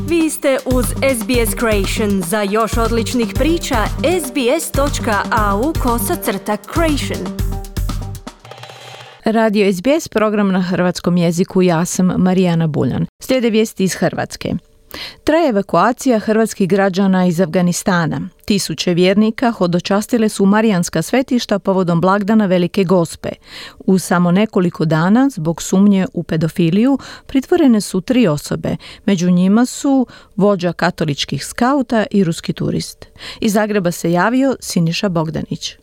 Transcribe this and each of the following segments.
Vi ste uz SBS Creation. Za još odličnih priča, sbs.au/creation. Radio SBS, program na hrvatskom jeziku, ja sam Marijana Buljan. Slijede vijesti iz Hrvatske. Traje evakuacija hrvatskih građana iz Afganistana. Tisuće vjernika hodočastile su marijanska svetišta povodom blagdana Velike Gospe. U samo nekoliko dana, zbog sumnje u pedofiliju, pritvorene su 3 osobe. Među njima su vođa katoličkih skauta i ruski turist. Iz Zagreba se javio Siniša Bogdanić.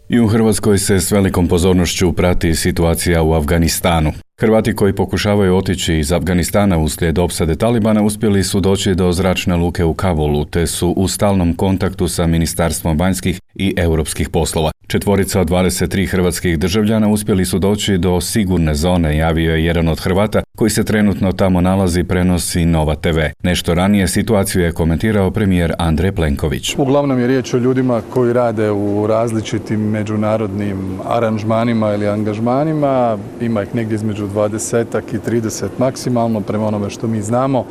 I u Hrvatskoj se s velikom pozornošću prati situacija u Afganistanu. Hrvati koji pokušavaju otići iz Afganistana uslijed opsade Talibana uspjeli su doći do zračne luke u Kabulu, te su u stalnom kontaktu sa Ministarstvom vanjskih i europskih poslova. 4 od 23 hrvatskih državljana uspjeli su doći do sigurne zone, javio je jedan od Hrvata koji se trenutno tamo nalazi, prenosi Nova TV. Nešto ranije situaciju je komentirao premijer Andrej Plenković. Uglavnom je riječ o ljudima koji rade u različitim međunarodnim aranžmanima ili angažmanima. Ima ih negdje između 20 i 30 maksimalno, prema onome što mi znamo.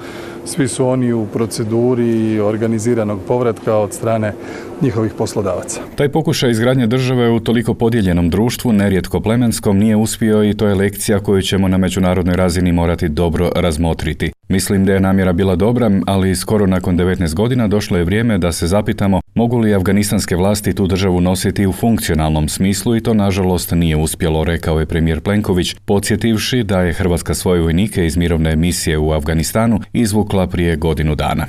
Svi su oni u proceduri organiziranog povratka od strane njihovih poslodavaca. Taj pokušaj izgradnje države u toliko podijeljenom društvu, nerijetko plemenskom, nije uspio i to je lekcija koju ćemo na međunarodnoj razini morati dobro razmotriti. Mislim da je namjera bila dobra, ali skoro nakon 19 godina došlo je vrijeme da se zapitamo mogu li afganistanske vlasti tu državu nositi u funkcionalnom smislu i to nažalost nije uspjelo, rekao je premijer Plenković, podsjetivši da je Hrvatska svoje vojnike iz mirovne misije u Afganistanu izvukla prije godinu dana.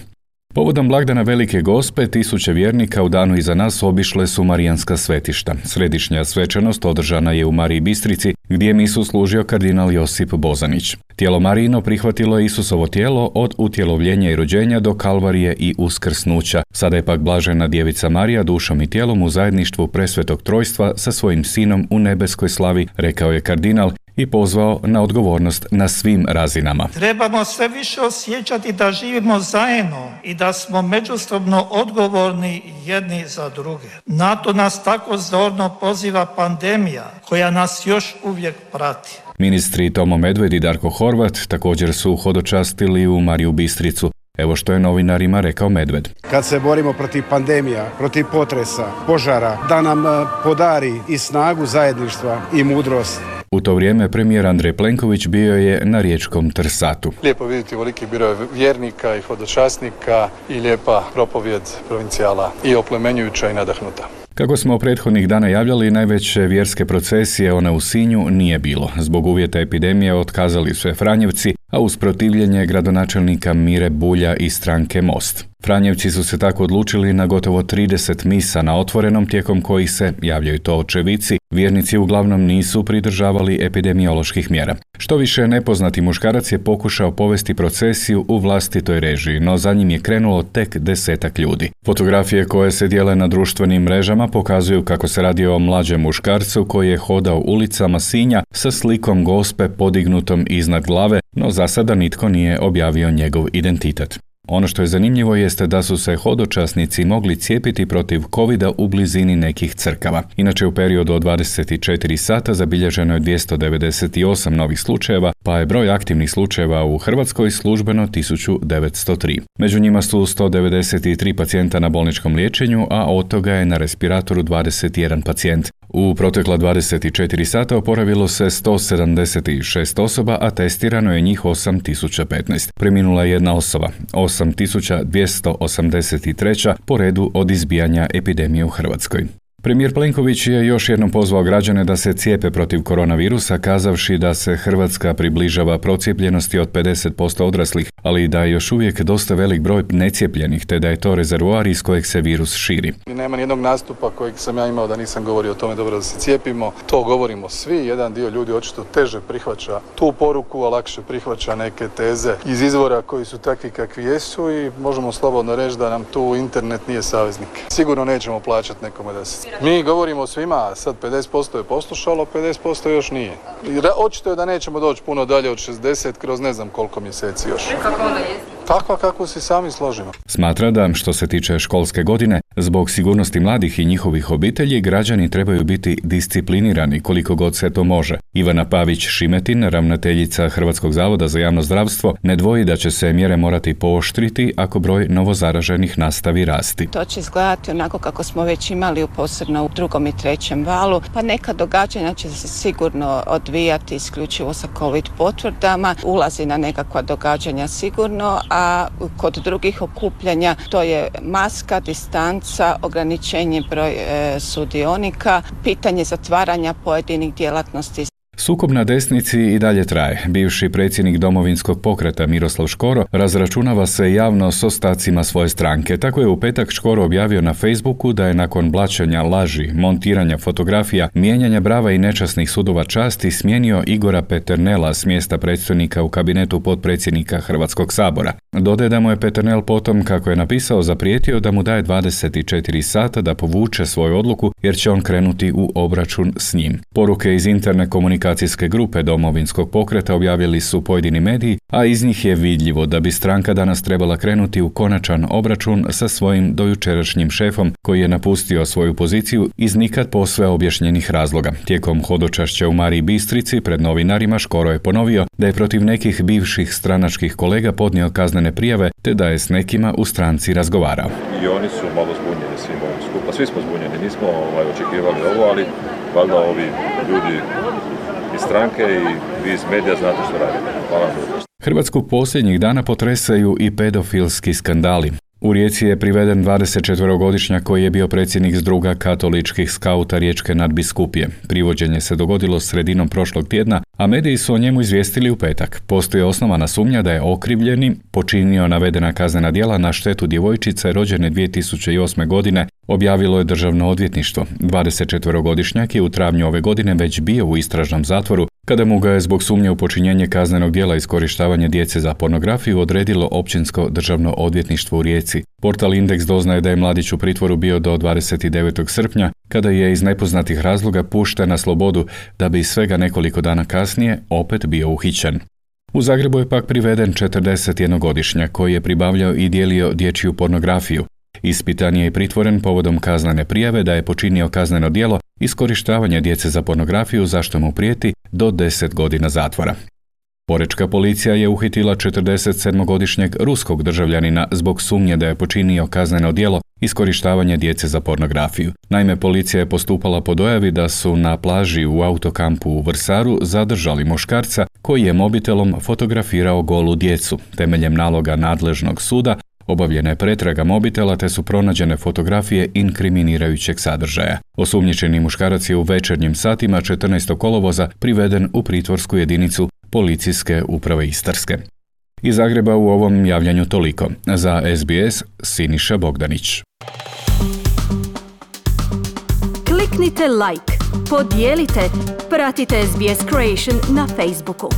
Povodom blagdana Velike Gospe, tisuće vjernika u danu iza nas obišle su marijanska svetišta. Središnja svečanost održana je u Mariji Bistrici, gdje je misu služio kardinal Josip Bozanić. Tijelo Marijino prihvatilo je Isusovo tijelo od utjelovljenja i rođenja do kalvarije i uskrsnuća. Sada je pak blažena djevica Marija dušom i tijelom u zajedništvu presvetog trojstva sa svojim sinom u nebeskoj slavi, rekao je kardinal i pozvao na odgovornost na svim razinama. Trebamo sve više osjećati da živimo zajedno i da smo međusobno odgovorni jedni za druge. Na to nas tako zorno poziva pandemija koja nas još uvijek prati. Ministri Tomo Medved i Darko Horvat također su hodočastili u Mariju Bistricu. Evo što je novinarima rekao Medved. Kad se borimo protiv pandemija, protiv potresa, požara, da nam podari i snagu zajedništva i mudrost. U to vrijeme premijer Andrej Plenković bio je na riječkom Trsatu. Lijepo vidjeti veliki broj vjernika i hodočasnika i lijepa propovjed provincijala i oplemenjujuća i nadahnuta. Kako smo prethodnih dana javljali, najveće vjerske procesije, one u Sinju, nije bilo. Zbog uvjeta epidemije otkazali su je Franjevci, a uz protivljenje gradonačelnika Mire Bulja i stranke Most. Franjevci su se tako odlučili na gotovo 30 misa na otvorenom, tijekom kojih se, javljaju to očevici, vjernici uglavnom nisu pridržavali epidemioloških mjera. Što više, nepoznati muškarac je pokušao povesti procesiju u vlastitoj režiji, no za njim je krenulo tek 10 ljudi. Fotografije koje se dijele na društvenim mrežama pokazuju kako se radi o mlađem muškarcu koji je hodao ulicama Sinja sa slikom Gospe podignutom iznad glave, no za sada nitko nije objavio njegov identitet. Ono što je zanimljivo jeste da su se hodočasnici mogli cijepiti protiv covida u blizini nekih crkava. Inače, u periodu od 24 sata zabilježeno je 298 novih slučajeva, pa je broj aktivnih slučajeva u Hrvatskoj službeno 1903. Među njima su 193 pacijenta na bolničkom liječenju, a od toga je na respiratoru 21 pacijent. U protekla 24 sata oporavilo se 176 osoba, a testirano je njih 8015. Preminula je jedna osoba, 8283 po redu od izbijanja epidemije u Hrvatskoj. Premijer Plenković je još jednom pozvao građane da se cijepe protiv koronavirusa, kazavši da se Hrvatska približava procijepljenosti od 50% odraslih, ali da je još uvijek dosta velik broj necijepljenih, te da je to rezervoar iz kojeg se virus širi. Nema nijednog nastupa kojeg sam ja imao da nisam govorio o tome dobro da se cijepimo. To govorimo svi, jedan dio ljudi očito teže prihvaća tu poruku, a lakše prihvaća neke teze iz izvora koji su takvi kakvi jesu i možemo slobodno reći da nam tu internet nije saveznik. Sigurno nećemo plaćati nekome da se mi govorimo svima, a sad 50% je poslušalo, 50% još nije. Očito je da nećemo doći puno dalje od 60 kroz ne znam koliko mjeseci još. Kako onda je? Takva kako si sami složimo. Smatra da, što se tiče školske godine, Zbog sigurnosti mladih i njihovih obitelji, građani trebaju biti disciplinirani koliko god se to može. Ivana Pavić-Šimetin, ravnateljica Hrvatskog zavoda za javno zdravstvo, ne dvoji da će se mjere morati pooštriti ako broj novozaraženih nastavi rasti. To će izgledati onako kako smo već imali posebno u 2. i 3. valu, pa neka događanja će se sigurno odvijati isključivo sa COVID potvrdama, ulazi na nekakva događanja sigurno, a kod drugih okupljanja to je maska, distanca, ograničenje broj sudionika, pitanje zatvaranja pojedinih djelatnosti. Sukob na desnici i dalje traje. Bivši predsjednik Domovinskog pokreta Miroslav Škoro razračunava se javno s ostacima svoje stranke. Tako je u petak Škoro objavio na Facebooku da je nakon blaćenja laži, montiranja fotografija, mijenjanja brava i nečasnih sudova časti smijenio Igora Peternela s mjesta predstojnika u kabinetu potpredsjednika Hrvatskog sabora. Dodaje da mu je Peternel potom, kako je napisao, zaprijetio da mu daje 24 sata da povuče svoju odluku jer će on krenuti u obračun s njim. Poruke iz interne komunikacijske grupe Domovinskog pokreta objavili su pojedini mediji, a iz njih je vidljivo da bi stranka danas trebala krenuti u konačan obračun sa svojim dojučerašnjim šefom koji je napustio svoju poziciju iz nikad posve objašnjenih razloga. Tijekom hodočašća u Mariji Bistrici pred novinarima Škoro je ponovio da je protiv nekih bivših stranačkih kolega podnio kaznene prijave te da je s nekima u stranci razgovarao. I oni su malo zbunjeni svim ovim skupa. Svi smo zbunjeni, nismo očekivali ovo, ali valjda ovi ljudi iz stranke i vi iz medija znate što radite. Hvala vam. Hrvatsku posljednjih dana potresaju i pedofilski skandali. U Rijeci je priveden 24-godišnjak koji je bio predsjednik Zdruga katoličkih skauta Riječke nadbiskupije. Privođenje se dogodilo sredinom prošlog tjedna, a mediji su o njemu izvijestili u petak. Postoji osnovana sumnja da je okrivljeni počinio navedena kaznena djela na štetu djevojčice rođene 2008. godine, objavilo je Državno odvjetništvo. 24-godišnjak je u travnju ove godine već bio u istražnom zatvoru, kada mu ga je zbog sumnje u počinjenje kaznenog djela iskorištavanja djece za pornografiju odredilo Općinsko državno odvjetništvo u Rijeci. Portal Indeks doznaje da je mladić u pritvoru bio do 29. srpnja, kada je iz nepoznatih razloga pušten na slobodu, da bi svega nekoliko dana kasnije opet bio uhićen. U Zagrebu je pak priveden 41-godišnjak koji je pribavljao i dijelio dječju pornografiju. Ispitan je i pritvoren povodom kaznene prijave da je počinio kazneno djelo iskorištavanja djece za pornografiju, za što mu prijeti do 10 godina zatvora. Porečka policija je uhitila 47-godišnjeg ruskog državljanina zbog sumnje da je počinio kazneno djelo iskorištavanje djece za pornografiju. Naime, policija je postupala po dojavi da su na plaži u autokampu u Vrsaru zadržali muškarca koji je mobitelom fotografirao golu djecu. Temeljem naloga nadležnog suda obavljena je pretraga mobitela te su pronađene fotografije inkriminirajućeg sadržaja. Osumnjičeni muškarac je u večernjim satima 14. kolovoza priveden u pritvorsku jedinicu Policijske uprave Istarske. Iz Zagreba u ovom javljanju toliko. Za SBS Siniša Bogdanić. Kliknite like, podijelite, pratite SBS Creation na Facebooku.